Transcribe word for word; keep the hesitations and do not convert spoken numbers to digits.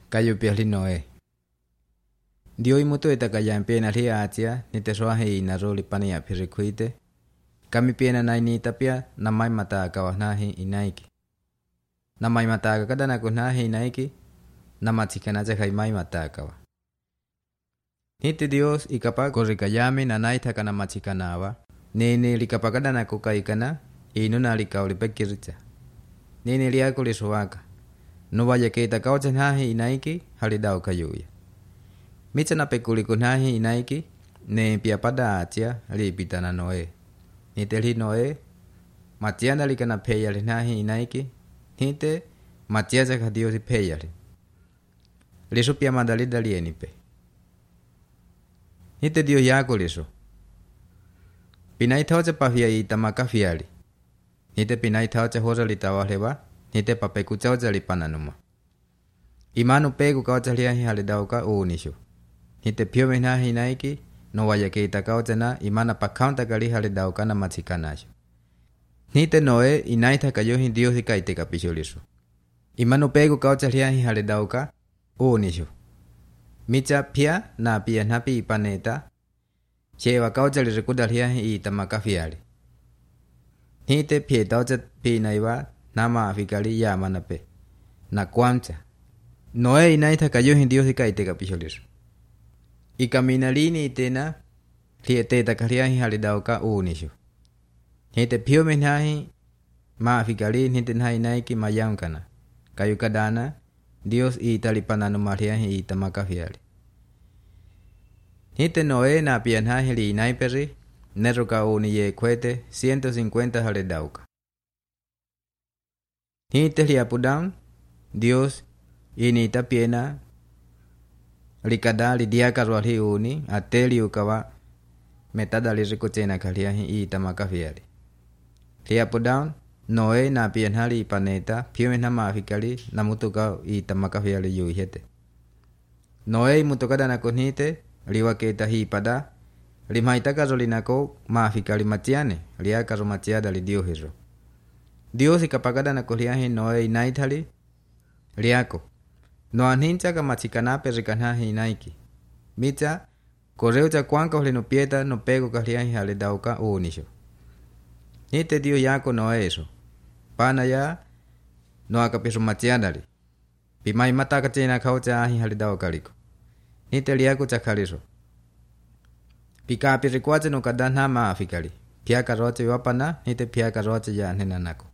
kayo piali Noé. Dio imuto itakayaan pena li atia ni te soahe ina roli pania pirikuite. Kami pena nai ni tapia na mai mata kawa nahi inaiki. Na mai mata kada na ko nahi inaiki na matikana ja kai mai mata kawa. Hite Dios ikapa korikayame na nai takana matikanawa. Nene likapakada na ko kaikana ino na likauli pekiricha. Nene liako lisoaka. No vaya ke takao nahi inaiki halidao kayuya. Micha na pekuli kunahi inaiki ne pia pada atia li pitana Noe. Niteli Noe matiana likana peya nahi inaiki hite matiaza kadio si peya. Liso pia madali dali enipe. Hite dio yako liso. Pinai taucha pafia itamaka fiali. Hite pinai taucha hoza litawalewa hite papeku taucha lipananuma. Imanu pegu kaucha liahi halidauka uunisho. Hite pio menahi inaiki no vaya ke itakaucha na imana pakaunta kali halidauka na machikanasho. Hite Noe inaita kayohi Dios ikaite kapisholiso. Imanu pegu kaucha liahi halidauka uunisho. Micha pia na pia napi ipaneta chewa kaucha lirikuda liahi itamaka fiali. Hite pia taucha pinaiwa nama afikali yamanape na kwamcha. Noe inaita kayohi Dios ikaite kapisholiso. Ikamina lini itena liete takaliahi halidauka uunisho. Hite pio menahi maafikali hite nahi naiki mayankana. Kayukadana Dios italipananu mariahi itamaka fiali. Hite Noe na pia nahi li inaiperi neruka uuniye kwete ciento cincuenta halidauka. Hite liapudan Dios ini tapiena likada lidiaka ruali uni ateli ukawa metada lirikuchena kaliahi itamaka fiali. Liapudan Noe na pia hali ipaneta pio na maafikali na mutuka itamaka fiali yuhete. Noe mutukada na kunhite liwaketa hi pada limaitaka rolinako maafikali matiane liaka romatiada lidio hizo. Dios ikapagada na kuliahi Noe inaitali liako. No anhincha ka machikana perikanahi inaiki. Micha koreu cha kwanka hole no pieta no pego kaliahi halidauka uunisho. Hite dio yako Noe eso. Pana ya no akapiso machiadali. Pimai mataka chena kaucha ahi halidauka liko. Hite liako cha kaliso. Pika apirikuache no kadana maafikali. Pia karoche wapana hite pia karoche ya nenanako.